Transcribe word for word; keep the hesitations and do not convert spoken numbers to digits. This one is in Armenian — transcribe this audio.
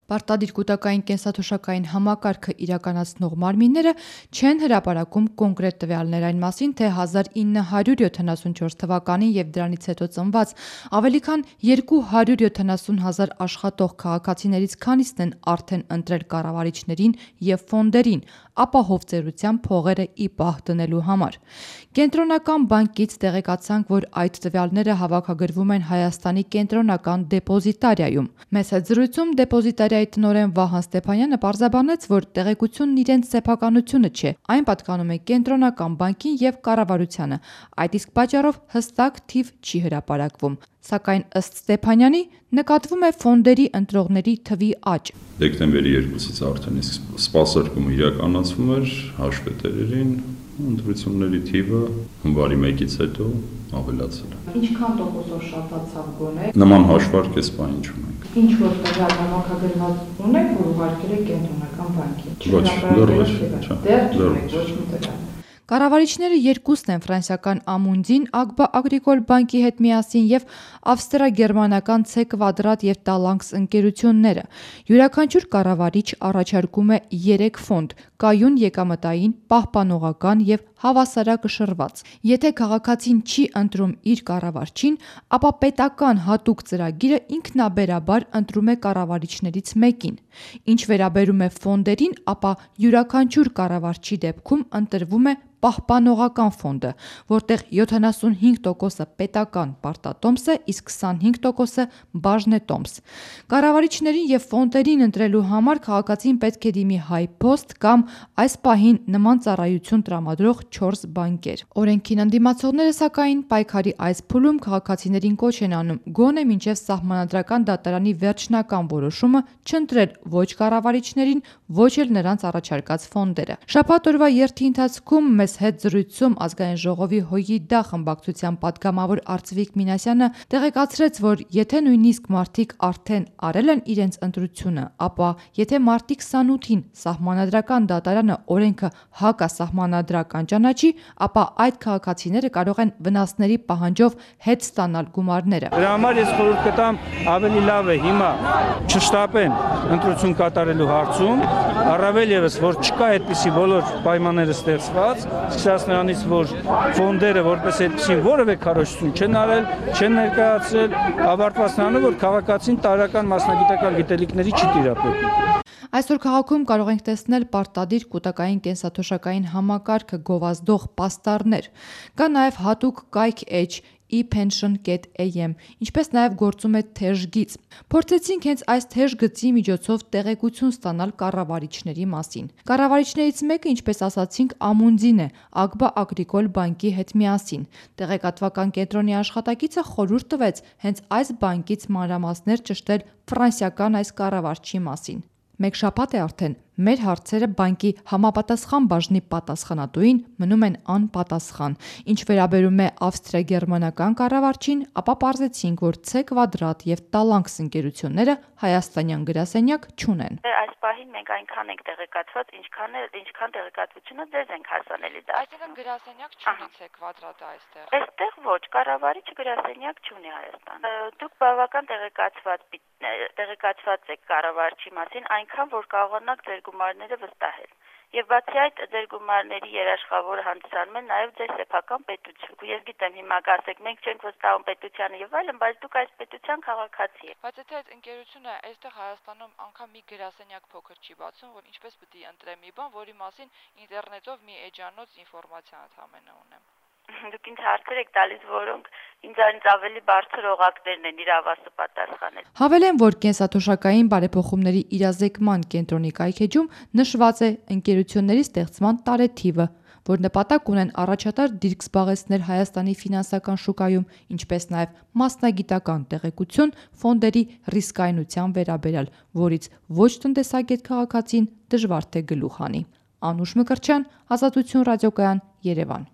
Պարտադիր կուտակային կենսաթոշակային համակարգը իրականացնող մարմինները չեն հրապարակում կոնկրետ տվյալներ այն մասին, թե հազար ինը հարյուր յոթանասունչորս թվականին եւ դրանից հետո ծնված ավելի քան երկու հարյուր յոթանասուն հազար աշխատող քաղաքացիներից քանիսն են արդեն ընտրել կառավարիչներին եւ ֆոնդերին ապահով ծերության փողերը ի պահ դնելու համար։ Կենտրոնական բանկից տեղեկացանք, որ այդ տվյալները հավաքագրվում են Հայաստանի կենտրոնական դեպոզիտարիայում։ Մեծ հետ զրույցում դեպոզիտարիայի տնօրեն Վահան Ստեփանյանը պարզաբանեց, որ տեղեկությունն իրենց սեփականությունը չէ, այն պատկանում է կենտրոնական բանկին եւ կառավարությանը, այդ իսկ պատճառով հստակ թիվ չի հրապարակվում։ Սակայն ըստ Ստեփանյանի նկատվում է ֆոնդերի ընտրողների թվի աճ։ Դեկտեմբերի երկուսից արդեն իսկ սպասարկումը իրականացվում էր հաշվետերերին, ընտրությունների թիվը հունվարի մեկից հետո ավելացել է։ Ինչքան տոկոսով շատացավ գոնե։ Նման հաշվարկ էս բանի չունենք։ Ինչ որ տվյալ համակարգված ունեք, որ ուղարկել եք կենտրոնական բանկին։ Ոչ, դեռ ոչ, դեռ ոչ մի տվյալ։ Կառավարիչները երկուսն են ֆրանսիական Ամունդին, Ագբա Ագրիկոլ բանկի հետ միասին եւ ավստրա-գերմանական C Quadrat եւ Talanx ընկերությունները։ Յուրաքանչյուր կառավարիչ առաջարկում է երեք ֆոնդ՝ կայուն եկամտային, պահպանողական եւ հավասարակշռված։ Եթե քաղաքացին չի ընտրում իր կառավարչին, ապա պետական հատուկ ծրագիրը ինքնաբերաբար ընտրում է կառավարիչներից մեկին։ Ինչ վերաբերում է ֆոնդերին, ապա յուրաքանչյուր կառավարչի դեպքում ընտրվում է պահպանողական ֆոնդը, որտեղ յոթանասունհինգ տոկոսը պետական պարտատոմս է, իսկ քսանհինգ տոկոսը բաժնետոմս։ Կառավարիչներին եւ ֆոնդերին ընտրելու համար քաղաքացին պետք է դիմի Հայփոստ կամ այս պահին նման ծառայություն տրամադրող չորս բանկեր։ Օրենքին ընդդիմացողները սակայն պայքարի այս փուլում քաղաքացիներին կոչ են անում գոնե մինչև սահմանադրական դատարանի վերջնական որոշումը չընտրել ոչ կառավարիչներին, ոչ էլ նրանց առաջարկած ֆոնդերը։ Շաբաթ օրվա երթի ընթացքում մեզ հետ զրույցում Ազգային ժողովի ՀՅԴ խմբակցության պատգամավոր Արծվիկ Մինասյանը տեղեկացրեց, որ եթե նույնիսկ մարդիկ արդեն արել են իրենց ընտրությունը, ապա եթե մարտի քսանութին սահմանադրական դատարանը օրենքը հակասահմանադրական ճանաչի, ապա այդ քաղաքացիները կարող են վնասների պահանջով հետ ստանալ գումարները։ Դրա համար ես խորհուրդ կտամ ավելի լավ է հիմա չշտապեն ընտրություն կատարելու հարցում, առավել եւս որ չկա այդպիսի բոլոր պայմանները ստեղծված, սկսած նրանից, որ ֆոնդերը որպես այդպիսին որևէ քարոզություն չեն արել, չեն ներկայացրել, ավարտված նրանով, որ քաղաքացին տարրական մասնագիտական գիտելիքների չի տիրապետում։ Այսօր քաղաքում կարող ենք տեսնել պարտադիր կուտակային կենսաթոշակային համակարգը գովազդող պաստառներ։ Կա նաև հատուկ կայք էջ e pension dot a m, ինչպես նաև գործում է թեժ գիծ։ Փորձեցինք հենց այս թեժ գծի միջոցով տեղեկություն ստանալ կառավարիչների մասին։ Կառավարիչներից մեկը, ինչպես ասացինք, Ամունդին է, Ագբա Ագրիկոլ բանկի հետ միասին։ Տեղեկատվական կենտրոնի աշխատակիցը խորհուրդ տվեց հենց այս բանկից մանրամասներ ճշտել ֆրանսիական այս կառավարչի մասին։ Մեկ շաբաթ է արդեն մեր հարցերը բանկի համապատասխան բաժնի պատասխանատուին մնում են անպատասխան։ Ինչ վերաբերում է ավստրիա-գերմանական կառավարչին, ապա պարզեցինք, որ C Quadrat եւ Talanx ընկերությունները հայաստանյան գրասենյակ չունեն։ Այս պահին մենք այնքան ենք տեղեկատված, ինչքան է, ինչքան տեղեկատվությունը ձեզ ենք հասանելի դա։ Այսինքն գրասենյակ չունի C Quadrat-ը այստեղ։ Այստեղ ոչ, կառավարիչը գրասենյակ չունի Հայաստան։ Դուք բավական տեղեկացված տեղեկացված եք կառավարչի մասին, այնքան որ կարողանաք ձեր գումարները վստահել։ Եվ բացի այդ ձեր գումարների երաշխավորը հանդիսանում է նաև ձեր սեփական պետություն։ Ես գիտեմ հիմա կասեք, մենք չենք վստահում պետությանը եւ այլն, բայց դուք այս պետության քաղաքացի եք։ Բայց եթե այդ ընկերությունը այստեղ Հայաստանում անգամ մի գրասենյակ փոքր չի բացում, որ ինչպես պետք է ընտրեմ մի բան, որի մասին ինտերնետով մի էջանոց ինֆորմացիա ընդհանրապես ունեմ։ Դուք ինձ հարցեր եք տալիս, որոնք ինձանից ավելի բարձր օղակներն են իրավասու պատասխանել։ Հավելեմ, որ կենսաթոշակային բարեփոխումների իրազեկման կենտրոնի կայքեջում նշված է ընկերությունների ստեղծման տարեթիվը, որ նպատակ ունեն առաջատար դիրք զբաղեցնել Հայաստանի ֆինանսական շուկայում, ինչպես նաև մասնագիտական տեղեկություն ֆոնդերի ռիսկայնության վերաբերյալ, որից ոչ տնտեսագետ քաղաքացին դժվար թե գլուխ հանի։ Անուշ Մկրտչյան, Ազատություն ռադիոկայան, Երևան։